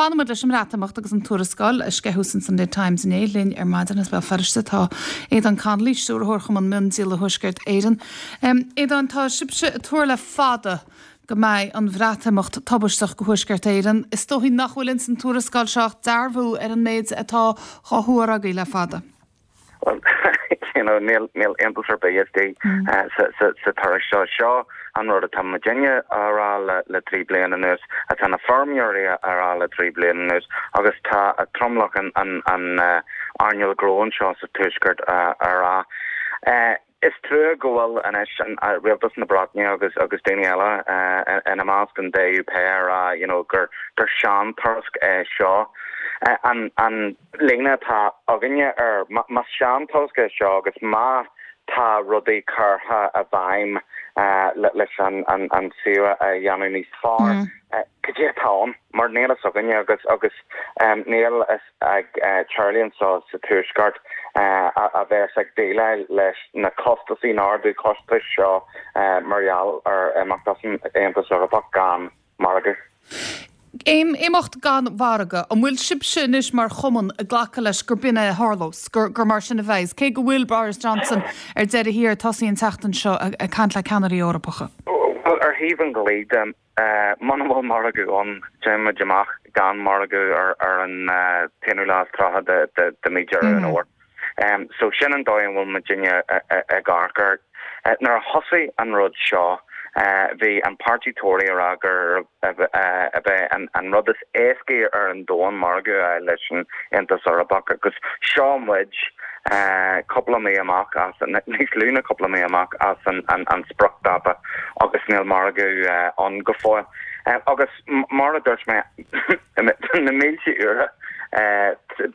Fanfaidh muid leis an mBreatimeacht agus an tuarascáil a sceitheadh san Sunday Times inné linn ar maidin as Béal Feirste tá Aodán Connolly, Stiúrthóir Chumann Miondíola Thuaisceart Éireann. Aodán, tá sibhse ag tuar le fada go mbeidh an Bhreatimeacht tubaisteach go Thuaisceart Éireann. Is dóichí nach bhfuil ins an tuarascáil seo ach dearbhú ar an méid atá dhá thuar agaibh le fada. Bhuel, you know, níl, níl iontas ar bith istigh sa, sa, sa tuairisc seo. Seo an rud atá muidinne á rá le, le 3 bliana anuas, atá na feirmeoirí á rá le 3 bliana anuas agus tá tromlach an, an, an earnáil ghnó anseo sa Tuaisceart á rá. Is trua go bhfuil anois an, Rialtas na Breataine agus, agus daoine eile ina measc, an DUP, á rá, you know, gur, gur seantuairisc é seo. An, an. líne atá againne air. Más seantuairisc é seo agus má tá rudaí curtha i bhfeidhm leis an suíomh a dhéanamh níos fearr, cad é atá ann? Mar níl fhios againne agus agus níl fhios ag teaghlaigh anseo sa Tuaisceart a bheas ag déileáil leis na costasaí, na ardú costais seo mar gheall ar imeacht as an Aontas Eorpach gan margadh. Imeacht gan mhargadh. An bhfuil sibhse anois mar chumann ag glacadh leis gur b'in é a tharlós, gur mar sin a bheas, cé go bhfuil Boris Johnson ar deireadh thiar ag tosaí an tseachtain seo ag caint le ceannairí Eorpacha? Bhuel, ar thaobh an dlí de, muna bhfuil margadh ann, téann muid amach gan margadh ar an t-aonú lá is 30 de mí Deireadh an Fhómhair. So sin an dóigh a bhfuil muidinne ag amharc air. Nuair a thosaigh an rud seo bhí an páirtí Tory ag rá gur ab é an rud is éascaí ar an domhan margadh a fháil leis an Aontas Eorpach agus seo muid cúpla mí amach as, níos lú ná cúpla mí amach as an spriocdháta agus níl margadh ann go fóill. Agus mar a dúirt mé, Na mílte uair,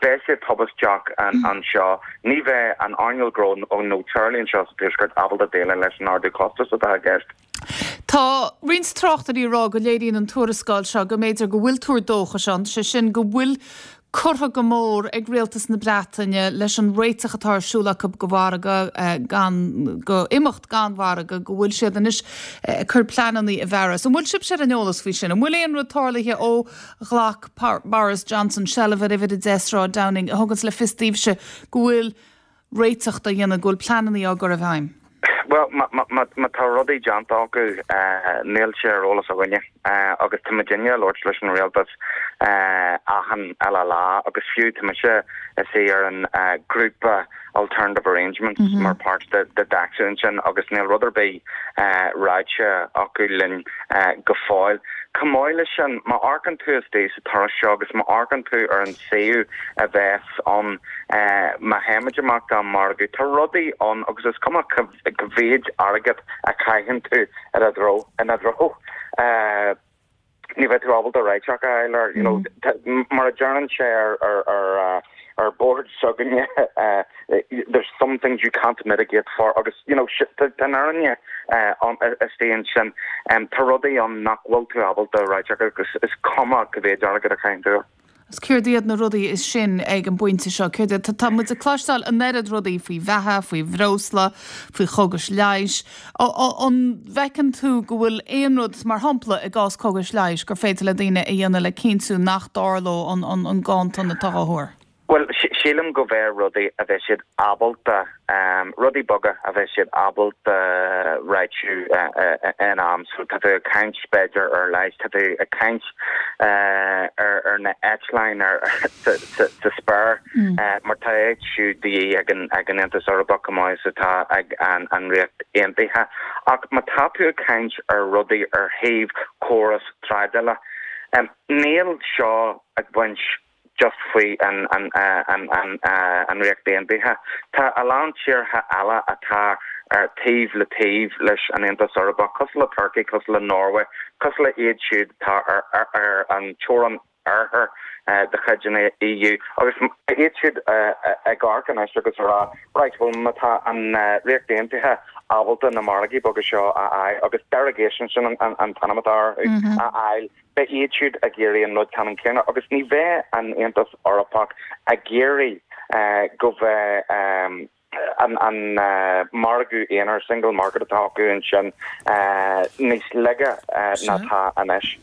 beidh sé tubaisteach anseo. Ní bheidh an earnáil ghnó nó teaghlaigh anseo sa Tuaisceart ábalta déileáil leis an ardú costas atá i gceist. Tá roinnt tráchtairí ag rá go léiríonn an tuarascáil seo go mb'fhéidir go bhfuil tuar dóchais ann, sé sin go bhfuil curtha go mór ag rialtas na Breataine leis an réiteach atá ar siúl acu go mhargadh gan, go imeacht gan mhargadh, go bhfuil siad anois ag cur pleananna i bhfearas. An bhfuil sibhse ar an eolas faoi sin? An bhfuil aon rud tarlaithe ó ghlac Boris Johnson seilbh ar uimhir 10 Sráid Downing a thuganns le fios daoibhse go bhfuil réiteach á dhéanamh, go bhfuil pleananna á gcur i bhfeidhm? Bhuel, má tá rudaí déanta acu, níl sé ar eolas againne. Agus tá muidinne ag labhairt leis an rialtas achan uile lá agus fiú tá mise istigh ar an grúpa Alternative Arrangements mar páirt de DACSU ansin agus níl rud ar bith ráite acu linn go fóill. Chomh maith leis sin, má amharcann tú istigh sa tuairisc seo agus má amharcann tú ar an suíomh a bheas ann má théimid amach gan margadh. Tá rudaí ann agus is cuma cá mhéid airgead a chaitheann tú ina dtreo, ina dtreo, ní bheidh tú ábalta réiteach a fháil air. You know, mar a deireann sé ar, ar, ar, ar bord s'againne, there's some things you can't mitigate for agus, you know, tá an fhírinne istigh ansin. Tá rudaí ann nach bhfuil tú ábalta réiteach agus is cuma cá mhéid airgead a chaitheann tú air. Agus céard iad na rudaí sin ag an bpointe seo? Céard iad? Tá muid ag cloisteáil an oiread rudaí faoi bheatha, faoi bhreosla, faoi chógais leighis. An bhfeiceann tú go bhfuil aon rud, mar shampla i gcás cógais leighis, gur féidir le daoine a dhéanamh le cinntiú nach dtarlódh an ganntan atá á thuar? Bhuel, sílim go bheidh rudaí a bheidh siad ábalta, rudaí beaga a bheidh siad ábalta réitiú in am. So tá tú ag caint b'fhéidir ar leigheas, tá tú ag caint ar na eitleáin sa spéir mar tá iad siúd de dhíth ag an Aontas Eorpach chomh maith is atá ag an Ríocht Aontaithe. Ach má tá tú ag caint ar rudaí ar thaobh córas trádála, níl seo ag baint just faoi an Ríocht Aontaithe. Tá a lán tíortha eile atá ar taobh le taobh leis an Aontas Eorpach, cosúil le Turkey, cosúil le Norway, cosúil le iad siúd atá ar an teorainn oirthir de chuid an EU, agus iad siúd ag amharc anois agus ag rá, right, bhuel má tá an Ríocht Aontaithe ábalta na margaí beaga seo a fháil, agus derogations, sin an t-ainm atá orthu, a fháil, Beidh iad siúd ag iarraidh an rud ceannann céanna agus ní bheidh an Aontas Eorpach ag iarraidh go bheidh an margadh aonair, single market, atá acu ansin níos laige ná atá anois.